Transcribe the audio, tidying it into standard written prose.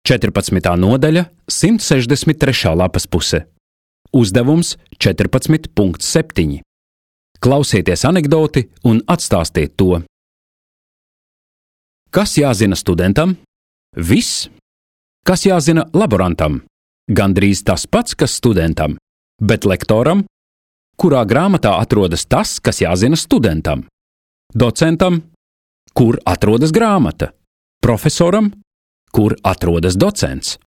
14. nodaļa, 163. lapas puse. Uzdevums 14.7. Klausieties anekdoti un atstāstiet to. Kas jāzina studentam? Viss. Kas jāzina laborantam? Gandrīz tas pats, kas studentam. Bet lektoram? Kurā grāmatā atrodas tas, kas jāzina studentam? Docentam? Kur atrodas grāmata? Profesoram? Kur atrodas docents?